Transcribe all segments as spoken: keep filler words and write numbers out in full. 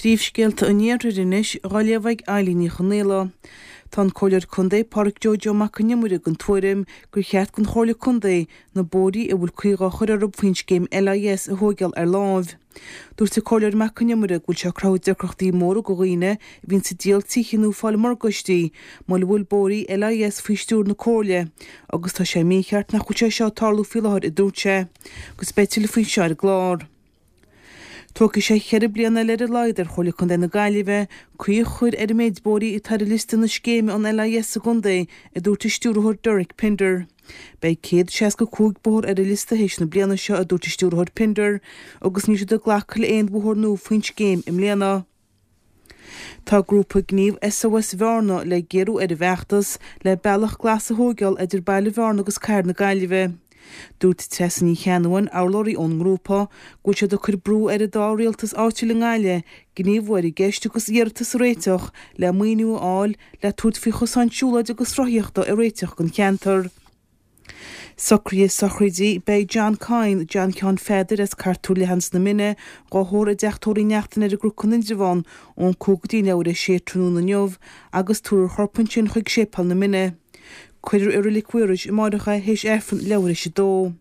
Príomhscéalta an Iarthair anois dhá léamh ag Eilín Ní Chonaola. Tá an Comhairleoir Contae Pádraig Joe Joe Mac an Iomaire den tuairim gur cheart don Chomhairle Contae na bóithrí a bhfuil caoi dhá chur orthu faoin scéim LIS a thóigeáil ar láimh. Dúirt an Comhairleoir Mac an Iomaire go bhfuil sé ag cruthú deacrachtaí móra do dhaoine a bhíonn ag díol tithe nó fáil morgáistí mura bhfuil bóithrí LIS faoi stiúir na Comhairle agus tá sé mícheart nach bhfuil sé seo ag tarlú faoi láthair a dúirt sé, agus beidh tuilleadh faoi seo ar an gclár. Tógfaidh sé ceithre bliana eile ar a laghad ar Chomhairle Contae na Gaillimhe caoi a chur ar an méid bóithrí atá ar liosta na scéime an LIS sa gcontae, a dúirt an stiúrthóir Derek Pinder. Beidh céad seasca cúig bóthar ar an liosta théis na bliana seo, a dúirt an stiúrthóir Pinder, agus níl siad ag glacadh le aon bhóthar nua faoin scéim i mbliana. Tá grúpa gníomh SOS Bhearna le géarú ar a bhfeachtas le bealach glas a thóigeáil idir baile Bhearna agus cathair na Gaillimhe. Dúirt Treasa Ní Cheannabháin, urlabhraí ón ngrúpa, go bhfuil siad ag cur brú ar an dá rialtas áitiúil i nGaillimh gníomhú ar an gceist agus iarratas a réiteach le maoiniú a fháil le tabhairt faoi chosáin siúlóide agus rothaíochta a réiteach don cheantar. Socruithe sochraide Beidh John Kyne, John Sheáin Pheadair as Cartúr Leathan sna Mine, dhá thórramh i dteach tórraimh Uí Neachtain ar an gCnoc in Indreabhán ón cúig go dtí leathuair théis a sé tráthnóna inniu agus tabharfar a chorp ansin chuig Séipéal na Mine. Cuirfear i Reilig Mhaorais amáireach é théis Aifreann leathuair théis a dó.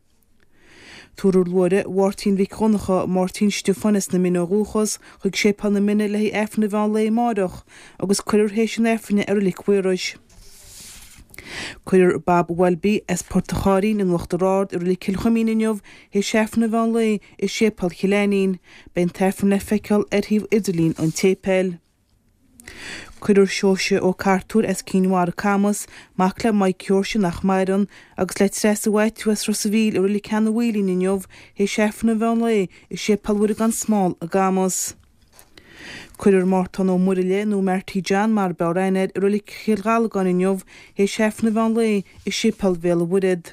Tabharfar luaithre Mháirtín Mhic Dhonncha, Máirtín Stiofáin as na Mine ó dhúchas, chuig Séipéal na Mine le haghaidh Aifreann an mheán lae amáireach agus cuirfear théis an Aifrinn é i Reilig Mhaorais. Cuirfear Bob Welby as Port an Chairrín in Uachtar Ard i Reilig Chill Chuimín inniu théis Aifreann an mheán lae i Séipéal Chill Ainnín. Beidh an tAifreann le feiceáil ar shuíomh idirlín an tséipéil. Cuirfear Seoirse Ó Cartúir as Cinn Mhara Camas, mac le Mike Sheoirse nach maireann, agus le Treasa Mhaitiú as Ros a' Mhíl i Reilig Sheanadh Mhaoilín inniu théis Aifreann an mheán lae i Séipéal Mhuire gan Smál i gCamas. Cuirfear Mártán Ó Muirthile nó Marty John mar b'fhearr aithne air i Reilig Chill Ghallagáin inniu théis Aifreann an mheán lae i Séipéal Bhéal an Mhuirthead.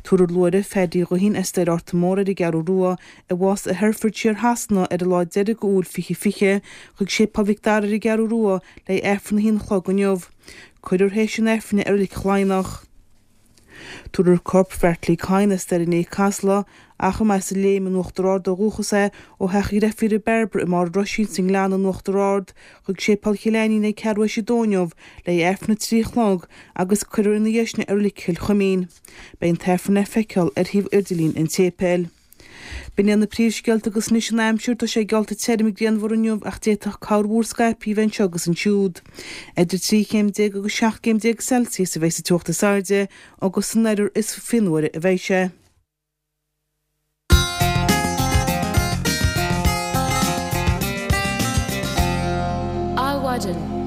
Tabharfar luaithre Phaddy Ghuithín as Doire Fhárta Mór ar an gCeathrú Rua, a bhásaigh i Herefordshire Shasana ar an lá deiridh d'Iúil fiche fiche, chuig Séipéal Mhic Dara ar an gCeathrú Rua le haghaidh Aifreann a haon a chlog inniu. Cuirfear théis an Aifrinn é i Reilig Laighneach. Tabharfar corp Bheartlaí Kyne as Doire an Fhéich Casla, ach ab as an Léim in Uachtar Ard ó dhúchas é, ó theach a dhreifíre Bairbre i mBarr an Roisín sa nGleann in Uachtar Ard, chuig Séipéal Chill Ainnín ag ceathrú théis a dó inniu le haghaidh Aifreann a trí a chlog agus cuirfear ina dhiaidh sin é i Reilig Chill Chuimín. Beidh an tAifreann le feiceáil ar shuíomh idirlín an tséipéil. B'in iad na príomhscéalta agus anois an aimsir, tá sé geallta tirim grianmhar inniu ach d'fhéadfadh corrmhúr scaipthe a bheith anseo agus ansiúd. Idir trí chéim déag agus seacht gcéim déag Celsius a bheidh sa teocht is airde agus san oirthear is fionnuaire a bheidh sé. Adhmhaidin.